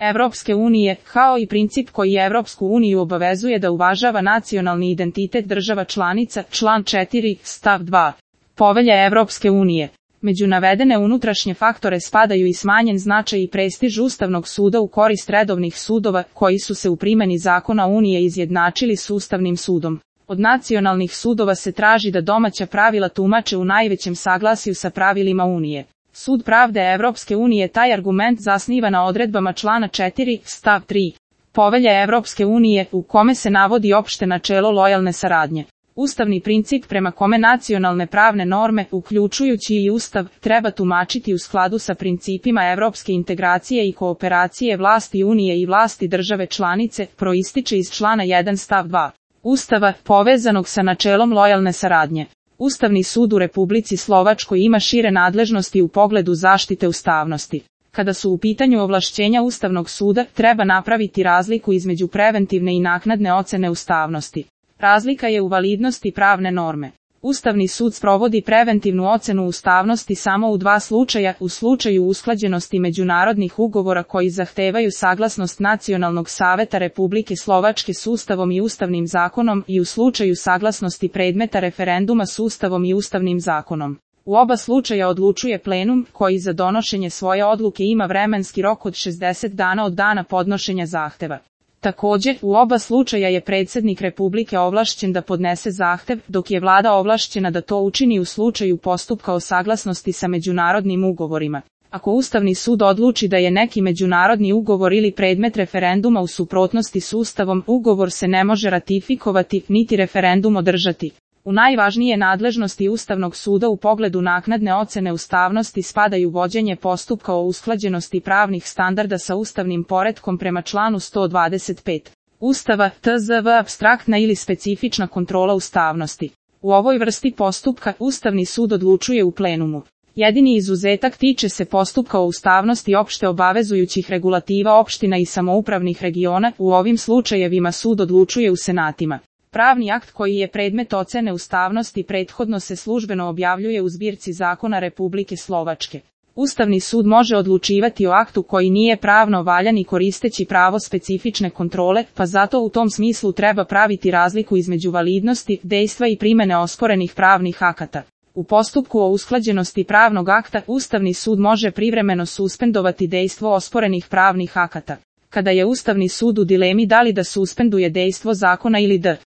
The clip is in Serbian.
Evropske unije, kao i princip koji Evropsku uniju obavezuje da uvažava nacionalni identitet država članica, član 4, stav 2. Povelje Evropske unije. Među navedene unutrašnje faktore spadaju i smanjen značaj i prestiž Ustavnog suda u korist redovnih sudova, koji su se u primjeni zakona Unije izjednačili s Ustavnim sudom. Od nacionalnih sudova se traži da domaća pravila tumače u najvećem saglasju sa pravilima Unije. Sud pravde Evropske unije taj argument zasniva na odredbama člana 4, stav 3. Povelje Evropske unije, u kome se navodi opšte načelo lojalne saradnje. Ustavni princip prema kome nacionalne pravne norme, uključujući i Ustav, treba tumačiti u skladu sa principima evropske integracije i kooperacije vlasti Unije i vlasti države članice, proističe iz člana 1 stav 2. Ustava, povezanog sa načelom lojalne saradnje. Ustavni sud u Republici Slovačkoj ima šire nadležnosti u pogledu zaštite ustavnosti. Kada su u pitanju ovlašćenja Ustavnog suda, treba napraviti razliku između preventivne i naknadne ocene ustavnosti. Razlika je u validnosti pravne norme. Ustavni sud sprovodi preventivnu ocenu ustavnosti samo u dva slučaja, u slučaju usklađenosti međunarodnih ugovora koji zahtevaju saglasnost Nacionalnog saveta Republike Slovačke s Ustavom i Ustavnim zakonom i u slučaju saglasnosti predmeta referenduma s Ustavom i Ustavnim zakonom. U oba slučaja odlučuje plenum, koji za donošenje svoje odluke ima vremenski rok od 60 dana od dana podnošenja zahteva. Također, u oba slučaja je predsjednik Republike ovlašćen da podnese zahtev, dok je vlada ovlašćena da to učini u slučaju postupka o saglasnosti sa međunarodnim ugovorima. Ako Ustavni sud odluči da je neki međunarodni ugovor ili predmet referenduma u suprotnosti s Ustavom, ugovor se ne može ratifikovati, niti referendum održati. U najvažnije nadležnosti Ustavnog suda u pogledu naknadne ocene ustavnosti spadaju vođenje postupka o usklađenosti pravnih standarda sa ustavnim poretkom prema članu 125. Ustava, tzv. Apstraktna ili specifična kontrola ustavnosti. U ovoj vrsti postupka Ustavni sud odlučuje u plenumu. Jedini izuzetak tiče se postupka o ustavnosti opšte obavezujućih regulativa opština i samoupravnih regiona, u ovim slučajevima sud odlučuje u senatima. Pravni akt koji je predmet ocene ustavnosti prethodno se službeno objavljuje u zbirci zakona Republike Slovačke. Ustavni sud može odlučivati o aktu koji nije pravno valjan i koristeći pravo specifične kontrole, pa zato u tom smislu treba praviti razliku između validnosti, dejstva i primene osporenih pravnih akata. U postupku o usklađenosti pravnog akta, Ustavni sud može privremeno suspendovati dejstvo osporenih pravnih akata. Kada je Ustavni sud u dilemi da li da suspenduje dejstvo zakona ili da